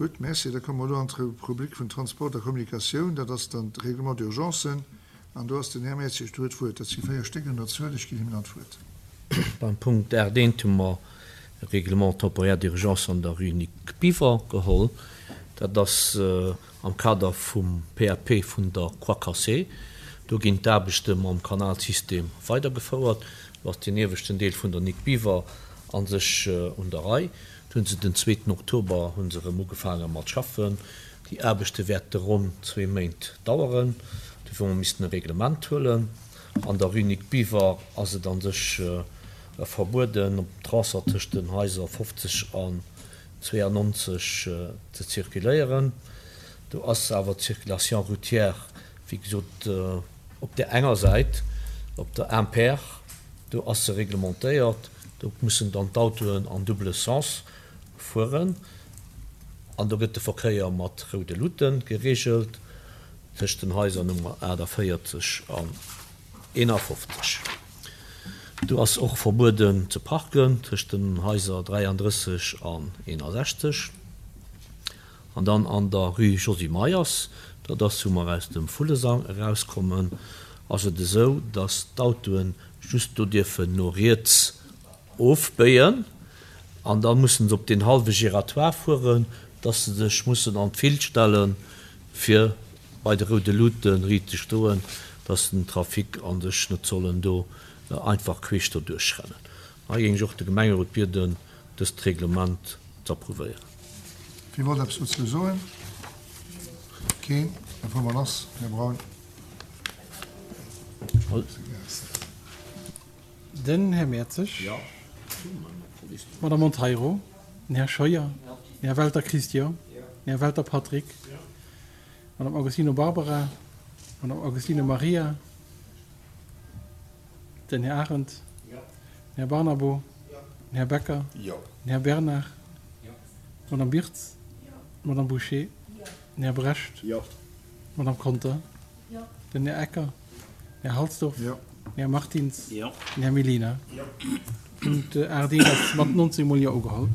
Gutt, Merci. Da komme mer elo an d'Rubrik vun Transport a Kommunikatioun. Dat ass dann d'Règlement d'urgence. An do ass den Här Mertzig, do huet d'Wuert. Dat si véier Stéck un der Zuel. Ech ginn him dann d'Wuert. Beim Punkt 8 hu mer e Règlement temporaire d'urgence an der Rue Nic Biver geholl. Dat ass am Kader vum PAP vun der Croix Cassée. Do ginn d'Aarbechte mam Kanalsystem weidergefouert. Do ass deen ieweschten Deel vun der Nic Biver a sech un der Rei. Do hunn se den zweeten Oktober hu se erëm ugefaange mat schaffen. Déi Aarbechte wäerte ronn zwee Méint daueren. Dofir hu mer missten e Reglement huelen. An der Rue Nic Biver ass et a sech verbueden, op dem Tronçon tëscht den Haiser 50 an 92 ze zirkuléieren. Do ass awer d'Circulation routière, wéi gesot, op där enger Säit, op der Impair, do ass se reglementéiert. Do mussen dann d'Autoen an double sens fueren an do gëtt de Verkéier mat roude Luute gereegelt tëscht den Haiser Nummer 48 an 51. Do ass och verbueden ze parken tëscht den Haiser 33 an 61. An dann an der Rue Josy Meyers, dat ass wou mer aus dem Vullesang erauskommen, ass et esou, datt d'Autoen just do dierfen no riets ofbéien an da mussen se op deen hallwe Giratoire fueren, dass se sech mussen an d'Fil stellen, fir bei de roude Luute riit ze stoen, dass den Trafic a sech net sollen do einfach queesch doduerch rennen. Hei géing ech och de Gemengerot bieden, dëst Reglement z'approuvéieren. Wie wollt eppes dozou soen? Keen? Da fuere mer lass, Här Braun. Den Här Mertzig. D'Madame Monteiro. Den Här Scheuer. Den Här Welter Christian. Den Här Welter Patrick. D'Madame Agostino Barbara. D'Madame Agostino Maria. Den Här Arendt. Den Här Barnabo. Den Här Becker. Den Här Bernard. D'Madame Birtz. D'Madame Bouché. Den Här Brecht. D'Madame Conter. Den Här Ecker. Den Här Halsdorf. Den Här Martins. Den Här Mellina. Punkt 8 ass mat 19 mol Jo ugeholl.